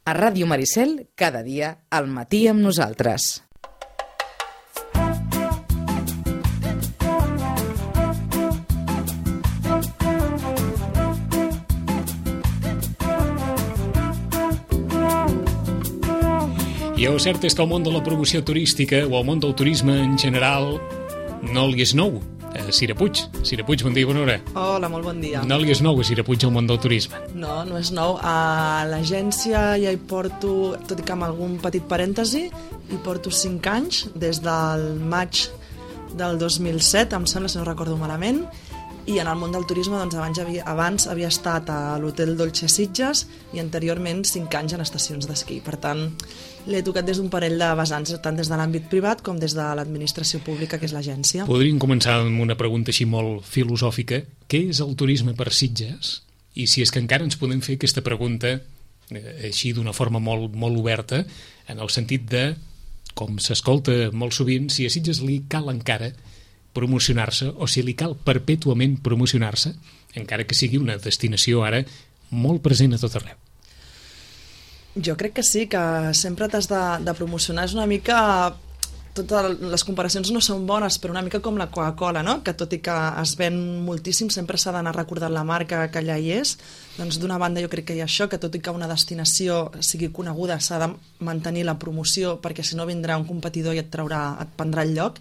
A Ràdio Maricel, cada dia al matí amb nosaltres. I el cert és que el món de la promoció turística o el món del turisme en general no li és nou. Cira Puig. Cira Puig, bon dia i bona hora. Hola, molt bon dia. No li és nou a Cira Puig el món del turisme. No, no és nou. A l'agència ja hi porto, tot i que amb algun petit parèntesi, hi porto 5 anys, des del maig del 2007, em sembla, si no recordo malament, i en el món del turisme doncs, abans havia estat a l'Hotel Dolce Sitges i anteriorment 5 anys en estacions d'esquí. Per tant, l'he tocat des d'un parell de vessants, tant des de l'àmbit privat com des de l'administració pública, que és l'agència. Podríem començar amb una pregunta així molt filosòfica. Què és el turisme per Sitges? I si és que encara ens podem fer aquesta pregunta així d'una forma molt, molt oberta, en el sentit de, com s'escolta molt sovint, si a Sitges li cal encara promocionar-se o si li cal perpètuament promocionar-se, encara que sigui una destinació ara molt present a tot arreu. Jo crec que sí, que sempre t'has de promocionar. És una mica... Totes les comparacions no són bones, però una mica com la Coca-Cola, no? Que tot i que es ven moltíssim, sempre s'ha d'anar recordant la marca que allà hi és. Doncs d'una banda jo crec que hi ha això, que tot i que una destinació sigui coneguda s'ha de mantenir la promoció, perquè si no vindrà un competidor i et prendrà el lloc.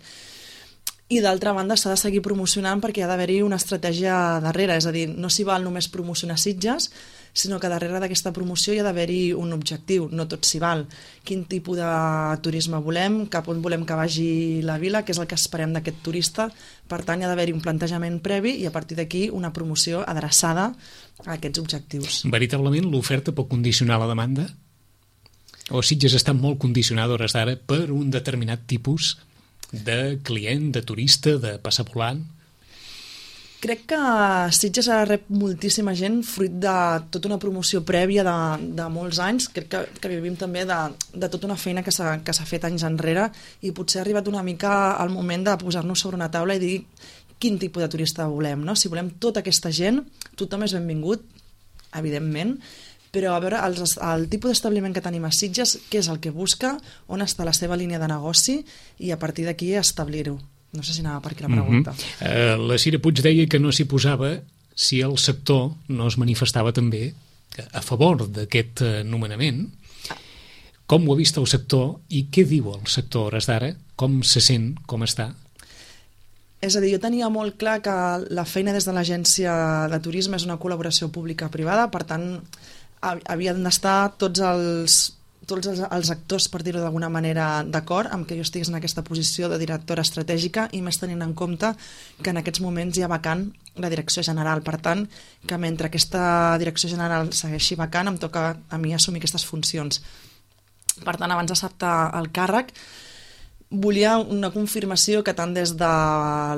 I d'altra banda s'ha de seguir promocionant perquè ha d'haver-hi una estratègia darrere, és a dir, no s'hi val només promocionar Sitges, sinó que darrere d'aquesta promoció hi ha d'haver-hi un objectiu, no tot s'hi val. Quin tipus de turisme volem, cap on volem que vagi la vila, què és el que esperem d'aquest turista. Per tant, hi ha d'haver-hi un plantejament previ i a partir d'aquí una promoció adreçada a aquests objectius. Veritablement l'oferta pot condicionar la demanda? O Sitges està molt condicionada a hores d'ara per un determinat tipus de client, de turista, de passapoulant? Crec que Sitges ara rep moltíssima gent fruit de tota una promoció prèvia de molts anys. Crec que vivim també de tota una feina que s'ha fet anys enrere i potser ha arribat una mica el moment de posar-nos sobre una taula i dir quin tipus de turista volem, no? Si volem tota aquesta gent, tothom és benvingut, evidentment, però a veure el tipus d'establiment que tenim a Sitges, què és el que busca, on està la seva línia de negoci i a partir d'aquí establir-ho. No sé si anava per aquí la pregunta. La Cira Puig deia que no s'hi posava si el sector no es manifestava també a favor d'aquest nomenament. Com ho ha vist el sector i què diu el sector a hores d'ara? Com se sent? Com està? És a dir, jo tenia molt clar que la feina des de l'agència de turisme és una col·laboració pública-privada, per tant, havien d'estar tots els actors, per dir-ho d'alguna manera, d'acord amb que jo estigués en aquesta posició de directora estratègica i més tenint en compte que en aquests moments hi ha vacant la direcció general. Per tant, que mentre aquesta direcció general segueixi vacant, em toca a mi assumir aquestes funcions. Per tant, abans d'acceptar el càrrec, volia una confirmació que tant des de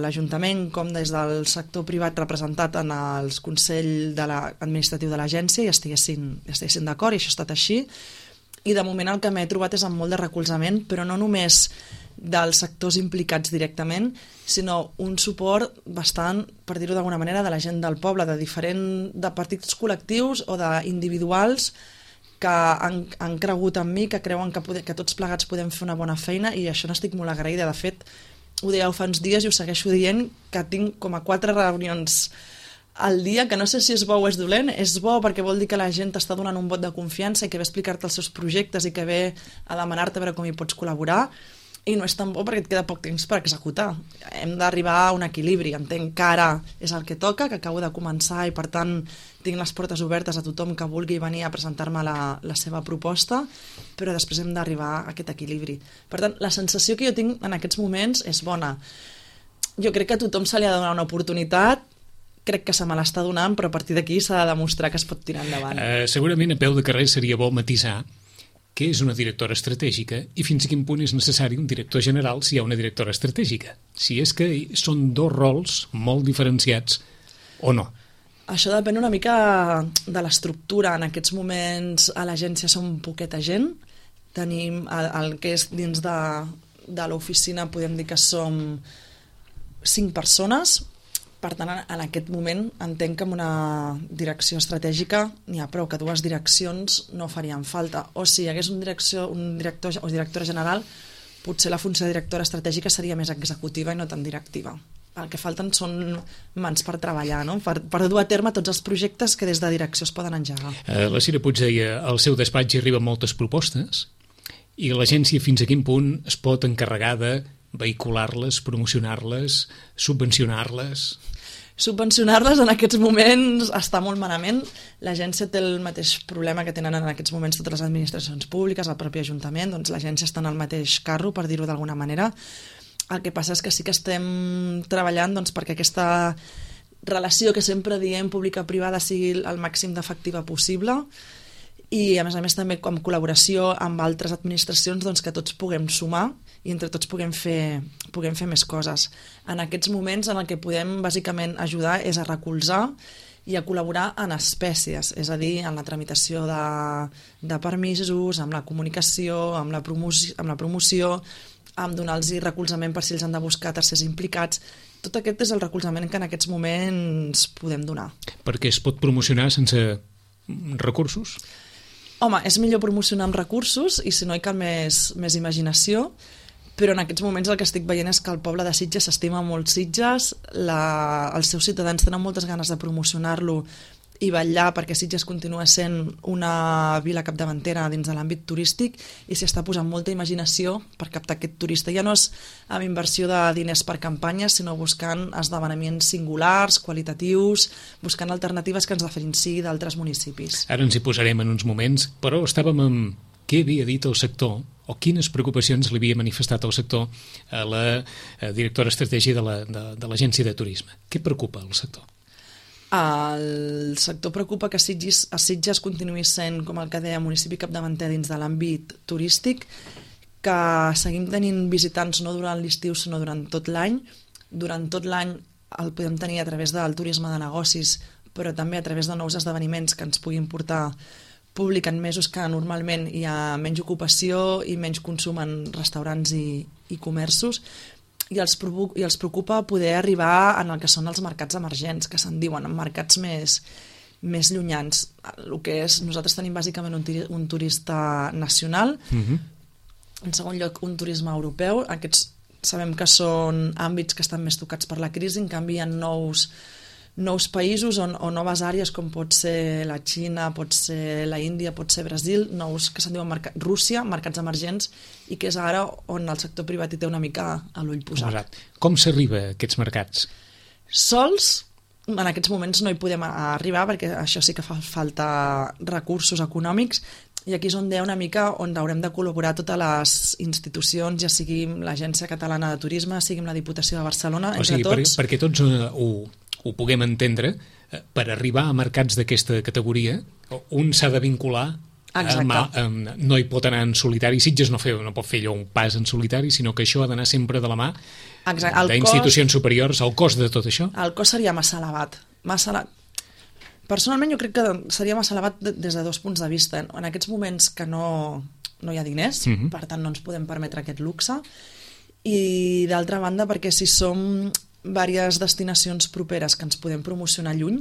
l'Ajuntament com des del sector privat representat en el Consell Administratiu de l'agència hi estiguessin d'acord, i això ha estat així. I de moment el que m'he trobat és amb molt de recolzament, però no només dels sectors implicats directament, sinó un suport bastant, per dir-ho d'alguna manera, de la gent del poble, de partits col·lectius o d'individuals que han cregut en mi, que creuen que tots plegats podem fer una bona feina, i això n'estic molt agraïda. De fet, ho dèieu fa uns dies i ho segueixo dient, que tinc com a 4 reunions al dia, que no sé si és bo o és dolent. És bo perquè vol dir que la gent t'està donant un vot de confiança i que ve a explicar-te els seus projectes i que ve a demanar-te a veure com hi pots col·laborar, i no és tan bo perquè et queda poc temps per executar. Hem d'arribar a un equilibri. Entenc que ara és el que toca, que acabo de començar i per tant tinc les portes obertes a tothom que vulgui venir a presentar-me la seva proposta, però després hem d'arribar a aquest equilibri. Per tant, la sensació que jo tinc en aquests moments és bona. Jo crec que a tothom se li ha de donar una oportunitat, crec que se me l'està donant, però a partir d'aquí s'ha de demostrar que es pot tirar endavant. Segurament a peu de carrer seria bo matisar què és una directora estratègica i fins a quin punt és necessari un director general si hi ha una directora estratègica. Si és que són 2 rols molt diferenciats o no. Això depèn una mica de l'estructura. En aquests moments a l'agència som poqueta gent. Tenim el que és dins de l'oficina, podem dir que som 5 persones, Per tant, en aquest moment entenc que amb una direcció estratègica n'hi ha prou, que dues direccions no farien falta. O si hi hagués un director o directora general, potser la funció de directora estratègica seria més executiva i no tan directiva. El que falten són mans per treballar, no? per dur a terme tots els projectes que des de direcció es poden engegar. La Cira Puig deia, al seu despatx hi arriben moltes propostes i l'agència fins a quin punt es pot encarregar de vehicular-les, promocionar-les, subvencionar-les? Subvencionar-les en aquests moments està molt malament. L'agència té el mateix problema que tenen en aquests moments totes les administracions públiques, el propi Ajuntament, doncs l'agència està en el mateix carro, per dir-ho d'alguna manera. El que passa és que sí que estem treballant doncs, perquè aquesta relació que sempre diem pública-privada sigui el màxim d'efectiva possible, i a més també en col·laboració amb altres administracions doncs, que tots puguem sumar i entre tots puguem fer més coses. En aquests moments en el que podem bàsicament ajudar és a recolzar i a col·laborar en espècies, és a dir, en la tramitació de permisos, amb la comunicació, amb la promoció, amb donar-los recolzament per si els han de buscar tercers implicats. Tot aquest és el recolzament que en aquests moments podem donar. Perquè es pot promocionar sense recursos? Home, és millor promocionar amb recursos i si no hi cal més imaginació, però en aquests moments el que estic veient és que el poble de Sitges s'estima molt Sitges, els seus ciutadans tenen moltes ganes de promocionar-lo i vetllar perquè Sitges continua sent una vila capdavantera dins de l'àmbit turístic i s'hi està posant molta imaginació per captar aquest turista. Ja no és amb inversió de diners per campanyes, sinó buscant esdeveniments singulars, qualitatius, buscant alternatives que ens diferenciï d'altres municipis. Ara ens hi posarem en uns moments, però estàvem amb què havia dit el sector o quines preocupacions li havia manifestat el sector a la directora estratègica de l'Agència de Turisme. Què preocupa el sector? El sector preocupa que Sitges continuï sent, com el que deia, municipi capdavanter dins de l'àmbit turístic, que seguim tenint visitants no durant l'estiu sinó durant tot l'any. Durant tot l'any el podem tenir a través del turisme de negocis, però també a través de nous esdeveniments que ens puguin portar públic en mesos que normalment hi ha menys ocupació i menys consum en restaurants i comerços. I els preocupa poder arribar en el que són els mercats emergents, que se'n diuen, en mercats més llunyans. El que és, nosaltres tenim bàsicament un turista nacional, en segon lloc un turisme europeu. Aquests sabem que són àmbits que estan més tocats per la crisi, en canvi hi ha nous països o noves àrees com pot ser la Xina, pot ser la Índia, pot ser Brasil, nous que se'n diuen Rússia, mercats emergents, i que és ara on el sector privat hi té una mica a l'ull posat. Com s'arriba a aquests mercats? Sols, en aquests moments no hi podem arribar perquè això sí que fa falta recursos econòmics, i aquí és on una mica on haurem de col·laborar totes les institucions, ja sigui l'Agència Catalana de Turisme, sigui la Diputació de Barcelona, entre tots. Perquè tots ho puguem entendre, per arribar a mercats d'aquesta categoria, un s'ha de vincular, no hi pot anar en solitari. Sitges no pot fer allò un pas en solitari, sinó que això ha d'anar sempre de la mà d'institucions superiors. El cost de tot això? El cost seria massa elevat. Personalment jo crec que seria massa elevat des de dos punts de vista. En aquests moments que no hi ha diners, per tant no ens podem permetre aquest luxe, i d'altra banda perquè si som diverses destinacions properes que ens podem promocionar lluny,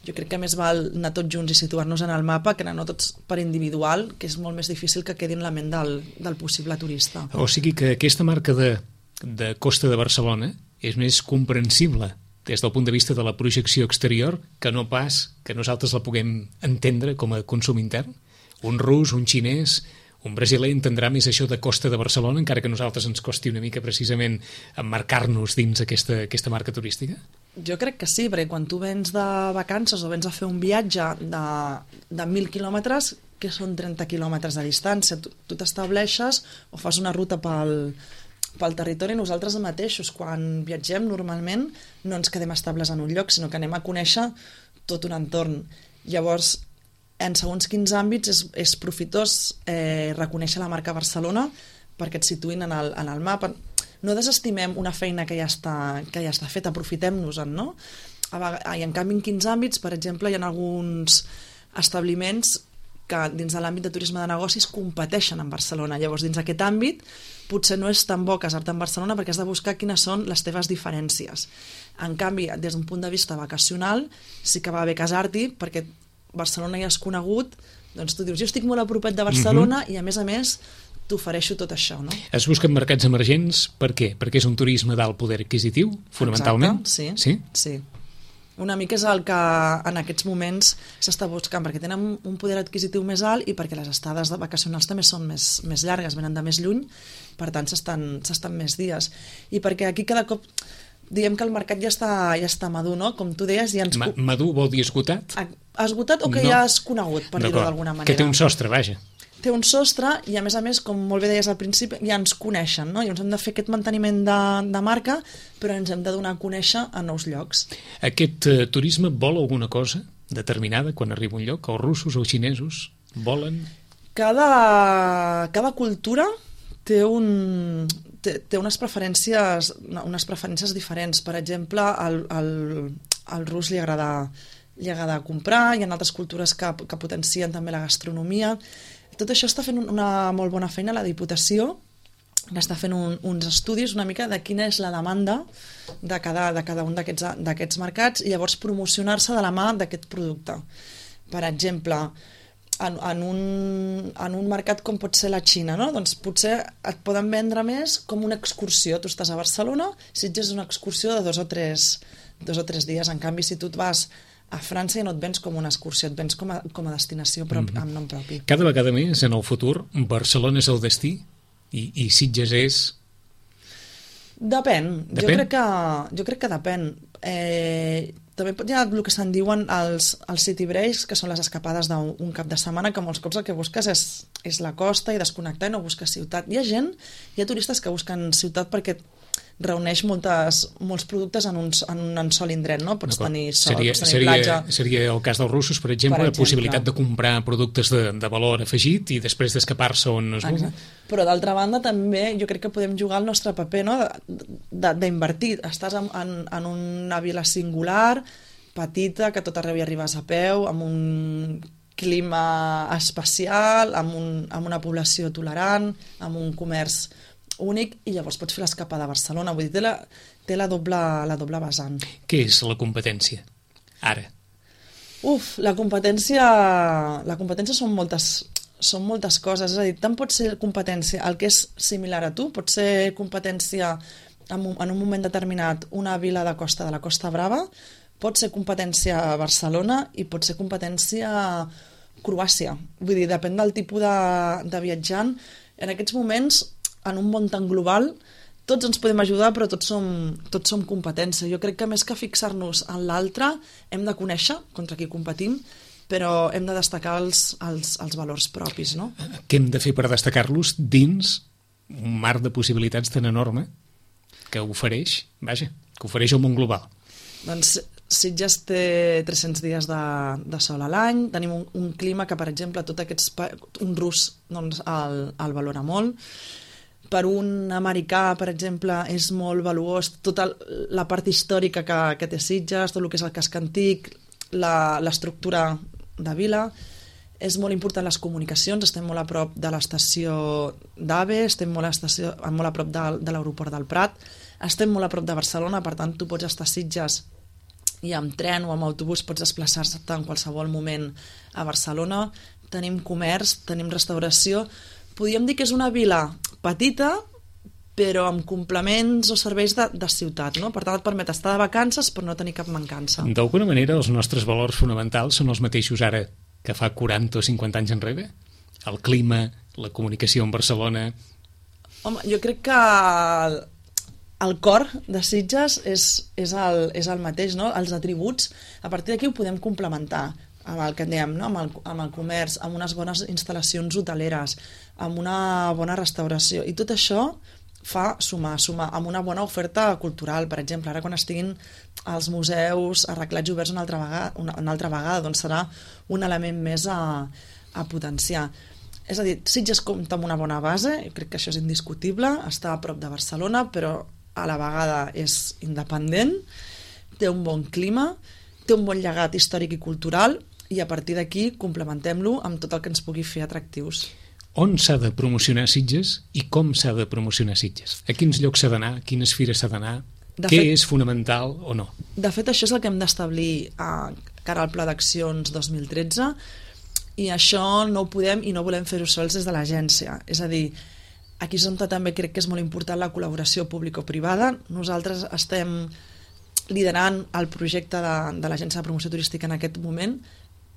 jo crec que més val anar tots junts i situar-nos en el mapa que anar no tots per individual, que és molt més difícil que quedi en la ment del possible turista. O sigui que aquesta marca de Costa de Barcelona és més comprensible des del punt de vista de la projecció exterior que no pas que nosaltres la puguem entendre com a consum intern. Un rus, un xinès, un brasiler entendrà més això de Costa de Barcelona, encara que a nosaltres ens costi una mica precisament emmarcar-nos dins aquesta marca turística? Jo crec que sí, perquè quan tu vens de vacances o vens a fer un viatge de 1.000 quilòmetres, que són 30 quilòmetres de distància, tu t'estableixes o fas una ruta pel territori. Nosaltres mateixos, quan viatgem, normalment no ens quedem estables en un lloc, sinó que anem a conèixer tot un entorn. Llavors, en segons quins àmbits és profitós reconèixer la marca Barcelona perquè et situïn en el mapa. No desestimem una feina que ja està feta, aprofitem-nos-en, no? I en canvi en quins àmbits, per exemple, hi ha alguns establiments que dins de l'àmbit de turisme de negocis competeixen en Barcelona. Llavors, dins d'aquest àmbit, potser no és tan bo casar-te en Barcelona perquè has de buscar quines són les teves diferències. En canvi, des d'un punt de vista vacacional, sí que va bé casar-t'hi perquè Barcelona ja és conegut, doncs tu dius, jo estic molt a propet de Barcelona i a més t'ofereixo tot això, no? Es busquen mercats emergents per què? Perquè és un turisme d'alt poder adquisitiu, fonamentalment? Exacte, sí. Una mica és el que en aquests moments s'està buscant, perquè tenen un poder adquisitiu més alt i perquè les estades vacacionals també són més llargues, venen de més lluny, per tant s'estan més dies. I perquè aquí cada cop diem que el mercat ja està madur, no? Com tu deies... Ja madur vol dir esgotat? Esgotat o que ja és conegut, per dir-ho d'alguna manera. Que té un sostre, vaja. Té un sostre i, a més, com molt bé deies al principi, ja ens coneixen, no? I ens hem de fer aquest manteniment de marca, però ens hem de donar a conèixer a nous llocs. Aquest turisme vol alguna cosa determinada quan arriba a un lloc? Els russos o els xinesos volen? Cada cultura té unes preferències diferents. Per exemple, al rus li agrada comprar, hi ha altres cultures que potencien també la gastronomia. Tot això està fent una molt bona feina la Diputació, que està fent uns estudis una mica de quina és la demanda de cada un d'aquests mercats i llavors promocionar-se de la mà d'aquest producte. Per exemple, en un mercat com pot ser la Xina, no? Doncs potser et poden vendre més com una excursió. Tu estàs a Barcelona, Sitges és una excursió de 2 o 3 dies. En canvi, si tu et vas a França ja no et vens com una excursió, et vens com a destinació amb nom propi. Cada vegada més, en el futur, Barcelona és el destí i Sitges és... Depèn. Jo crec que depèn. També hi ha el que se'n diuen els city breaks, que són les escapades d'un cap de setmana, que molts cops el que busques és la costa i desconnectar i no busques ciutat. Hi ha turistes que busquen ciutat perquè reuneix molts productes en un sol indret, no? Pots tenir sol, pots tenir platja... Seria el cas dels russos, per exemple, la possibilitat de comprar productes de valor afegit i després d'escapar-se on es vulgui. Però d'altra banda també jo crec que podem jugar el nostre paper, no? D'invertir. Estàs en una vila singular, petita, que tot arreu hi arribes a peu, amb un clima especial, amb una població tolerant, amb un comerç únic, i llavors pots fer l'escapada a Barcelona. Vull dir, té la doble vessant. Què és la competència, ara? La competència són moltes coses. És a dir, tant pot ser competència el que és similar a tu, pot ser competència en un moment determinat una vila de costa de la Costa Brava, pot ser competència a Barcelona i pot ser competència a Croàcia. Vull dir, depèn del tipus de viatjant. En aquests moments, en un món tan global, tots ens podem ajudar, però tots som competència. Jo crec que més que fixar-nos en l'altre, hem de conèixer contra qui competim, però hem de destacar els valors propis, no? Què hem de fer per destacar-los dins un mar de possibilitats tan enorme que ofereix el món global? Doncs Sitges té 300 dies de sol a l'any, tenim un clima que, per exemple, un rus doncs, el valora molt. Per un americà, per exemple, és molt valuós tota la part històrica que té Sitges, tot el que és el casc antic, l'estructura de vila. És molt important les comunicacions, estem molt a prop de l'estació d'AVE, estem molt a prop de l'aeroport del Prat, estem molt a prop de Barcelona, per tant, tu pots estar a Sitges i amb tren o amb autobús pots desplaçar-te en qualsevol moment a Barcelona. Tenim comerç, tenim restauració. Podríem dir que és una vila petita, però amb complements o serveis de ciutat, no? Per tant, et permet estar de vacances però no tenir cap mancança. D'alguna manera, els nostres valors fonamentals són els mateixos ara que fa 40 o 50 anys enrere? El clima, la comunicació amb Barcelona... Home, jo crec que el cor de Sitges és el mateix, no? Els atributs, a partir d'aquí ho podem complementar amb el que en dèiem, no? amb el comerç, amb unes bones instal·lacions hoteleres, amb una bona restauració, i tot això fa sumar amb una bona oferta cultural. Per exemple, ara quan estiguin els museus arreglats i oberts una altra vegada, doncs serà un element més a potenciar. És a dir, Sitges compta amb una bona base, crec que això és indiscutible, està a prop de Barcelona, però a la vegada és independent, té un bon clima, té un bon llegat històric i cultural, i a partir d'aquí complementem-lo amb tot el que ens pugui fer atractius. On s'ha de promocionar Sitges i com s'ha de promocionar Sitges? A quins llocs s'ha d'anar? A quines fires s'ha d'anar? Què és fonamental o no? De fet, això és el que hem d'establir cara al Pla d'Accions 2013, i això no ho podem i no volem fer-ho sols des de l'agència. És a dir, aquí és on també crec que és molt important la col·laboració público-privada. Nosaltres estem liderant el projecte de l'Agència de Promoció Turística en aquest moment,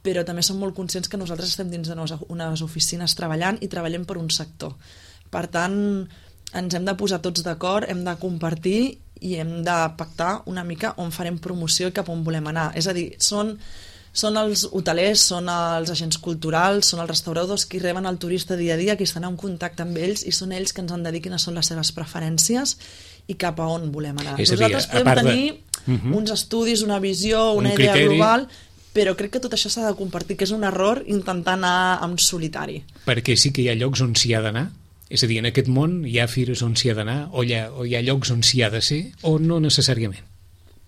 però també som molt conscients que nosaltres estem dins d'unes oficines treballant i treballem per un sector. Per tant, ens hem de posar tots d'acord, hem de compartir i hem de pactar una mica on farem promoció i cap on volem anar. És a dir, són els hotelers, són els agents culturals, són els restauradors qui reben el turista dia a dia, qui estan en contacte amb ells, i són ells que ens han de dir quines són les seves preferències i cap a on volem anar. Nosaltres podem tenir uns estudis, una visió, una idea global, però crec que tot això s'ha de compartir, que és un error intentar anar en solitari. Perquè sí que hi ha llocs on s'hi ha d'anar? És a dir, en aquest món hi ha fires on s'hi ha d'anar, o hi ha llocs on s'hi ha de ser, o no necessàriament?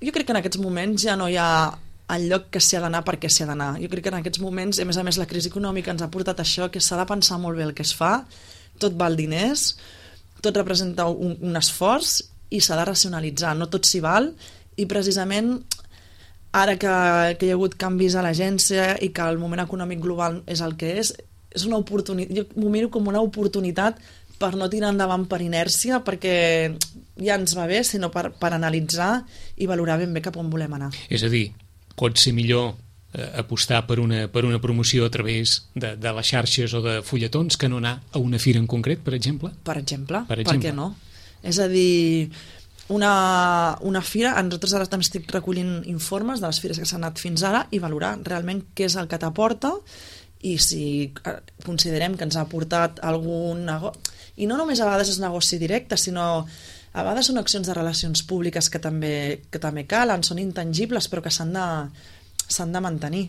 Jo crec que en aquests moments ja no hi ha el lloc que s'hi ha d'anar perquè s'hi ha d'anar. Jo crec que en aquests moments, a més la crisi econòmica ens ha portat això, que s'ha de pensar molt bé el que es fa, tot val diners, tot representa un esforç i s'ha de racionalitzar, no tot s'hi val, i precisament ara que hi ha hagut canvis a l'agència i que el moment econòmic global és el que és una oportunitat, jo m'ho miro com una oportunitat per no tirar endavant per inèrcia, perquè ja ens va bé, sinó per analitzar i valorar ben bé cap on volem anar. És a dir, pot ser millor apostar per una promoció a través de les xarxes o de fulletons que no anar a una fira en concret, per exemple? Per exemple. Per què no? És a dir, una fira, nosaltres ara també estic recollint informes de les fires que s'han anat fins ara i valorar realment què és el que t'aporta i si considerem que ens ha aportat algun negoci, i no només a vegades és negoci directe, sinó a vegades són accions de relacions públiques que també calen, són intangibles però que s'han de mantenir.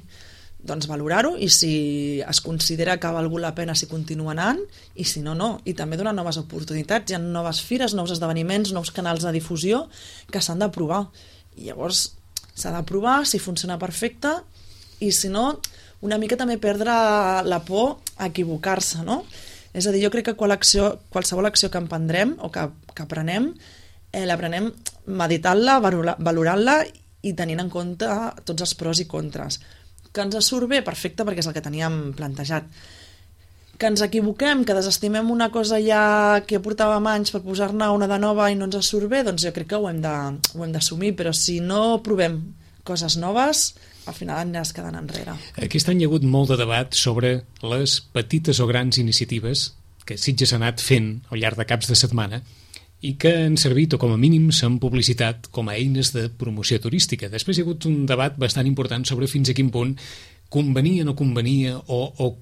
Doncs valorar-ho, i si es considera que ha valgut la pena, si continua anant, i si no, no. I també donar noves oportunitats, hi ha noves fires, nous esdeveniments, nous canals de difusió que s'han de provar. I llavors s'ha de provar si funciona perfecte, i si no, una mica també perdre la por a equivocar-se, no? És a dir, jo crec que qualsevol acció que emprendrem o que aprenem, l'aprenem meditant-la, valorant-la i tenint en compte tots els pros i contres. Que ens surt bé, perfecte, perquè és el que teníem plantejat. Que ens equivoquem, que desestimem una cosa ja que portàvem anys per posar-ne una de nova i no ens surt bé, doncs jo crec que ho hem d'assumir, però si no provem coses noves, al final aniràs quedant enrere. Aquest any hi ha hagut molt de debat sobre les petites o grans iniciatives que Sitges ha anat fent al llarg de caps de setmana i que han servit, o com a mínim s'han publicitat, com a eines de promoció turística. Després hi ha hagut un debat bastant important sobre fins a quin punt convenia o no convenia, o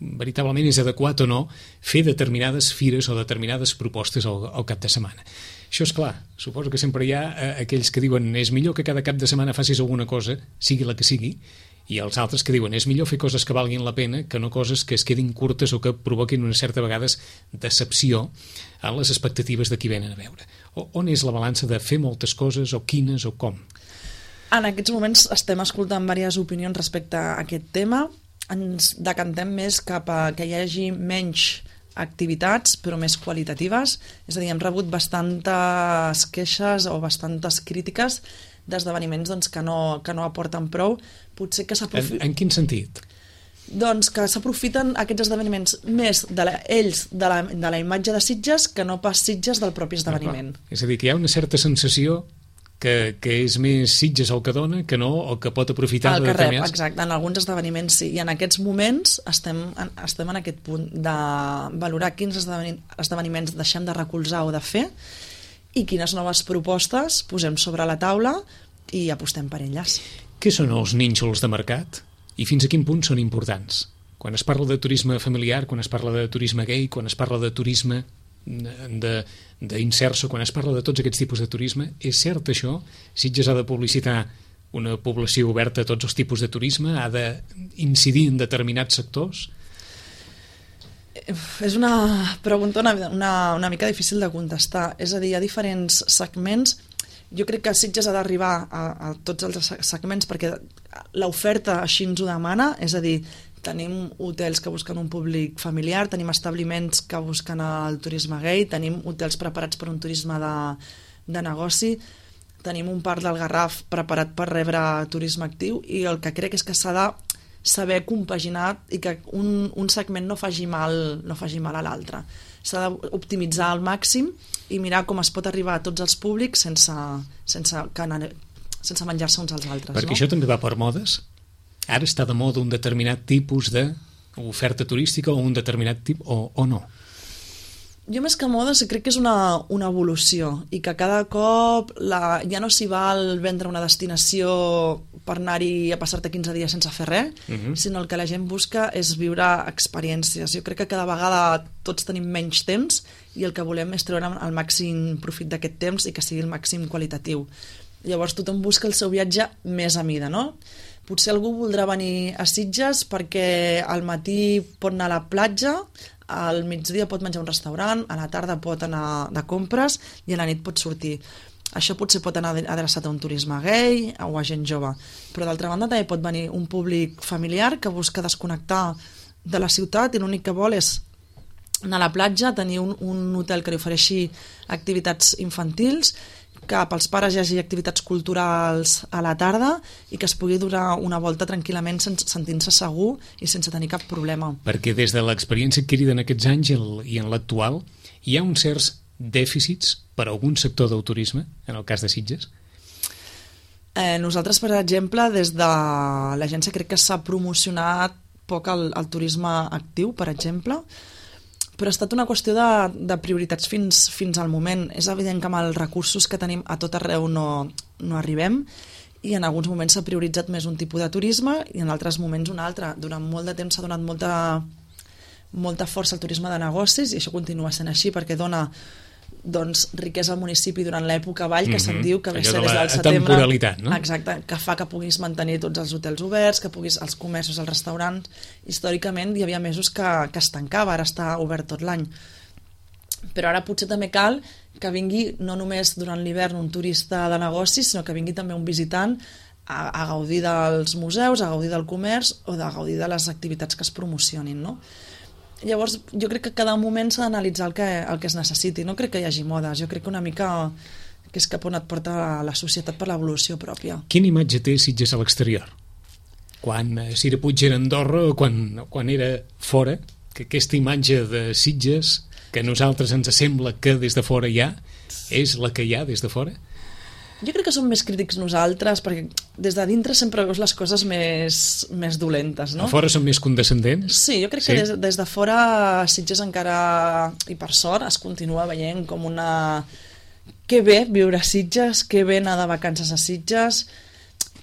veritablement és adequat o no fer determinades fires o determinades propostes al cap de setmana. Això és clar, suposo que sempre hi ha aquells que diuen és millor que cada cap de setmana facis alguna cosa, sigui la que sigui, i els altres que diuen és millor fer coses que valguin la pena que no coses que es quedin curtes o que provoquin una certa vegades decepció a les expectatives de qui venen a veure. On és la balança de fer moltes coses o quines o com? En aquests moments estem escoltant diverses opinions respecte a aquest tema. Ens decantem més cap a que hi hagi menys activitats però més qualitatives, és a dir, hem rebut bastantes queixes o bastantes crítiques d'esdeveniments que no aporten prou. Potser que En quin sentit? Doncs que s'aprofiten aquests esdeveniments més de la imatge de Sitges que no pas Sitges del propi esdeveniment. És a dir, que hi ha una certa sensació que és més Sitges el que dona que no, o que pot aprofitar el que rep, exacte, en alguns esdeveniments sí, i en aquests moments estem en aquest punt de valorar quins esdeveniments deixem de recolzar o de fer i quines noves propostes posem sobre la taula i apostem per elles. Què són els nínxols de mercat i fins a quin punt són importants? Quan es parla de turisme familiar, quan es parla de turisme gay, quan es parla de turisme d'inserso, quan es parla de tots aquests tipus de turisme, és cert això? Sitges ha de publicitar una població oberta a tots els tipus de turisme? Ha d'incidir en determinats sectors? És una pregunta una mica difícil de contestar. És a dir, hi ha diferents segments. Jo crec que Sitges ha d'arribar a tots els segments perquè l'oferta així ens ho demana, és a dir, tenim hotels que busquen un públic familiar, tenim establiments que busquen el turisme gay, tenim hotels preparats per un turisme de negoci, tenim un parc del Garraf preparat per rebre turisme actiu, i el que crec és que s'ha de saber compaginar i que un segment no faci mal a l'altre. S'ha d'optimitzar al màxim i mirar com es pot arribar a tots els públics sense menjar-se uns als altres. Perquè això també va per modes? Ara està de moda un determinat tipus d'oferta turística o un determinat tipus o no? Jo més que moda crec que és una evolució i que cada cop ja no s'hi val vendre una destinació per anar-hi a passar-te 15 dies sense fer res, sinó el que la gent busca és viure experiències. Jo crec que cada vegada tots tenim menys temps i el que volem és treure el màxim profit d'aquest temps i que sigui el màxim qualitatiu. Llavors tothom busca el seu viatge més a mida, no? Potser algú voldrà venir a Sitges perquè al matí pot anar a la platja, al migdia pot menjar a un restaurant, a la tarda pot anar de compres i a la nit pot sortir. Això potser pot anar adreçat a un turisme gay o a gent jove, però d'altra banda també pot venir un públic familiar que busca desconnectar de la ciutat i l'únic que vol és anar a la platja, tenir un hotel que li ofereixi activitats infantils, que pels pares hi hagi activitats culturals a la tarda i que es pugui donar una volta tranquil·lament sentint-se segur i sense tenir cap problema. Perquè des de l'experiència adquirida en aquests anys i en l'actual hi ha uns certs dèficits per a algun sector del turisme, en el cas de Sitges? Nosaltres, per exemple, des de l'agència crec que s'ha promocionat poc el turisme actiu, per exemple, però ha estat una qüestió de prioritats fins al moment. És evident que amb els recursos que tenim a tot arreu no arribem i en alguns moments s'ha prioritzat més un tipus de turisme i en altres moments un altre. Durant molt de temps s'ha donat molta força al turisme de negocis i això continua sent així perquè dona riquesa al municipi durant l'època vall, que se'n diu que ve ser des del setembre. Temporalitat, no? Exacte, que fa que puguis mantenir tots els hotels oberts, que puguis els comerços, els restaurants. Històricament hi havia mesos que es tancava, ara està obert tot l'any. Però ara potser també cal que vingui no només durant l'hivern un turista de negocis, sinó que vingui també un visitant a gaudir dels museus, a gaudir del comerç o a gaudir de les activitats que es promocionin, no? Llavors, jo crec que cada moment s'ha d'analitzar el que es necessiti. No crec que hi hagi modes. Jo crec que una mica que és cap on et porta la societat per l'evolució pròpia. Quina imatge té Sitges a l'exterior? Quan Cira Puig era a Andorra o quan era fora, que aquesta imatge de Sitges que a nosaltres ens sembla que des de fora hi ha, és la que hi ha des de fora? Jo crec que som més crítics nosaltres, perquè des de dintre sempre veus les coses més dolentes, no? A fora són més condescendents? Sí, jo crec que des de fora Sitges encara, i per sort, es continua veient com una... Que bé viure a Sitges, que bé anar de vacances a Sitges,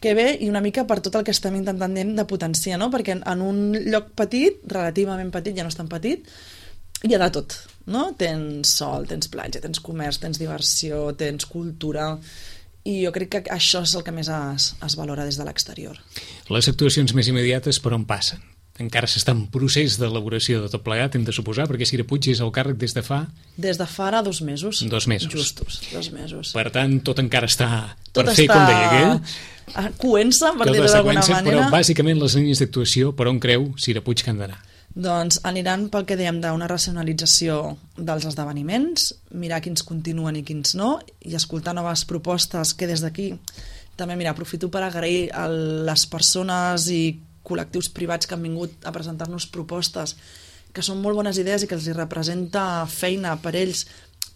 que bé, i una mica per tot el que estem intentant de potenciar, no? Perquè en un lloc petit, relativament petit, ja no és tan petit, hi ha de tot, no? Tens sol, tens platja, tens comerç, tens diversió, tens cultura... I jo crec que això és el que més es valora des de l'exterior. Les actuacions més immediates per on passen? Encara s'està en procés d'elaboració de tot plegat, hem de suposar, perquè Cira Puig és al càrrec des de fa... Des de fa ara 2 mesos. 2 mesos. Justos, 2 mesos. Per tant, tot encara està per fer, com deia aquell. Coent-se, per dir-ho d'alguna manera. Però bàsicament les línies d'actuació, per on creu Cira Puig que han d'anar? Doncs aniran pel que dèiem d'una racionalització dels esdeveniments, mirar quins continuen i quins no, i escoltar noves propostes que des d'aquí també, mira, aprofito per agrair a les persones i col·lectius privats que han vingut a presentar-nos propostes que són molt bones idees i que els representa feina per ells,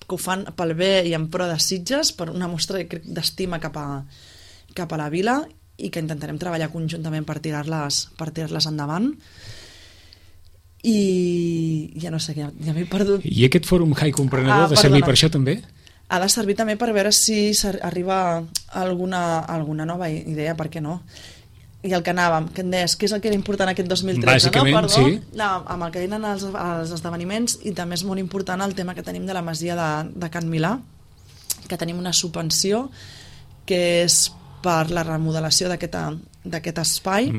que ho fan pel bé i en pro de Sitges, per una mostra d'estima cap a la vila i que intentarem treballar conjuntament per tirar-les endavant. I ja no sé, ja m'he perdut. I aquest fòrum High Comprenedor ha de servir per això també? Ha de servir també per veure si arriba alguna nova idea, per què no? I el que anàvem, que em deies, què és el que era important aquest 2013? Bàsicament, no? Perdó, sí. Amb el que eren els esdeveniments, i també és molt important el tema que tenim de la masia de Can Milà, que tenim una subvenció que és per la remodelació d'aquest espai,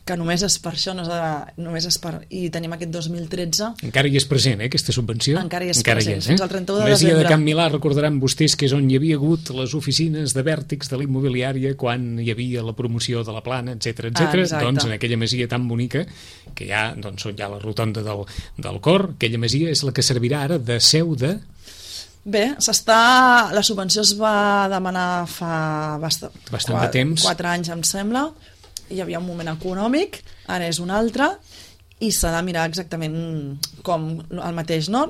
que només és per això, només és per... I tenim aquest 2013... Encara hi és present, aquesta subvenció? Encara hi és present, fins al 31 de Masia desembre. de Can Milà, recordaran vostès que és on hi havia hagut les oficines de vèrtix de l'immobiliària quan hi havia la promoció de la plana, etc. Doncs en aquella masia tan bonica que hi ha, doncs, on hi ha la rotonda del cor, aquella masia és la que servirà ara de seu de... Bé, la subvenció es va demanar fa bastant de temps. 4 anys, em sembla. Hi havia un moment econòmic, ara és un altre, i s'ha de mirar exactament com el mateix, no?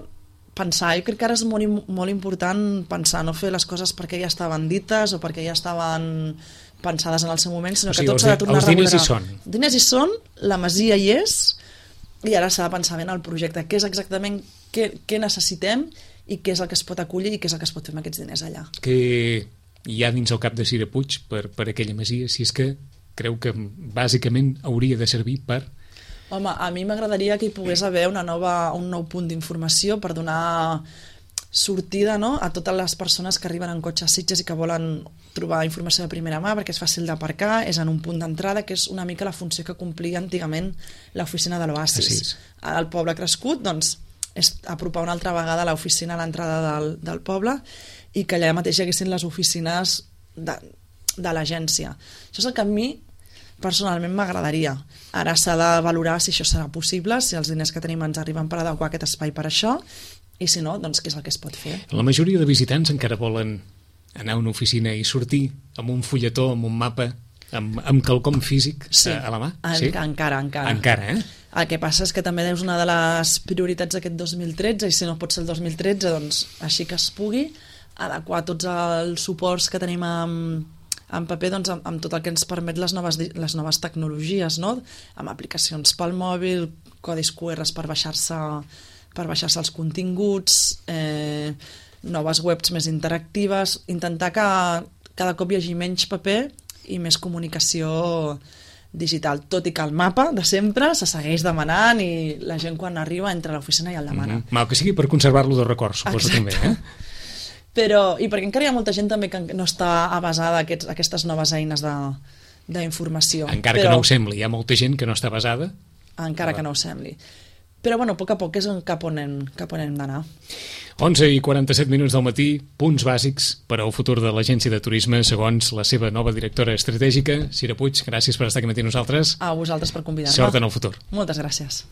Pensar, jo crec que ara és molt important pensar, no fer les coses perquè ja estaven dites o perquè ja estaven pensades en el seu moment, sinó que tot s'ha de tornar a regular. Els diners hi són. Els diners hi són, la masia hi és, i ara s'ha de pensar ben el projecte, què és exactament, què necessitem i què és el que es pot acollir i què és el que es pot fer amb aquests diners allà. Què hi ha dins el cap de Cira Puig per aquella masia, si és que creu que bàsicament hauria de servir per... Home, a mi m'agradaria que hi pogués haver un nou punt d'informació per donar sortida, no?, a totes les persones que arriben en cotxe a Sitges i que volen trobar informació de primera mà perquè és fàcil d'aparcar, és en un punt d'entrada, que és una mica la funció que complia antigament l'oficina de l'Oasis. Al poble crescut, doncs, és apropar una altra vegada l'oficina a l'entrada del poble i que allà mateix hi haguessin les oficines de l'agència. Això és el que a mi personalment m'agradaria. Ara s'ha de valorar si això serà possible, si els diners que tenim ens arriben per adequar aquest espai per això, i si no, doncs què és el que es pot fer. La majoria de visitants encara volen anar a una oficina i sortir amb un fulletó, amb un mapa, amb quelcom físic a la mà? Sí, encara. Encara, eh? El que passa és que també és una de les prioritats d'aquest 2013, i si no pot ser el 2013, doncs així que es pugui adequar tots els suports que tenim en paper, doncs, amb tot el que ens permet les noves tecnologies, no? Amb aplicacions pel mòbil, codis QRs per baixar-se els continguts, noves webs més interactives, intentar que cada cop hi hagi menys paper i més comunicació digital, tot i que el mapa de sempre se segueix demanant i la gent quan arriba entra a l'oficina i el demana. Mal que sigui per conservar-lo de record, suposo. Exacte. També, I perquè encara hi ha molta gent també que no està avasada a aquestes noves eines d'informació. Encara que no ho sembli, hi ha molta gent que no està avasada. Encara que no ho sembli. Però, bueno, a poc a poc és cap on hem d'anar. 11:47 del matí, punts bàsics per al futur de l'Agència de Turisme, segons la seva nova directora estratègica, Cira Puig. Gràcies per estar aquí amb nosaltres. A vosaltres per convidar-me. Sort en el futur. Moltes gràcies.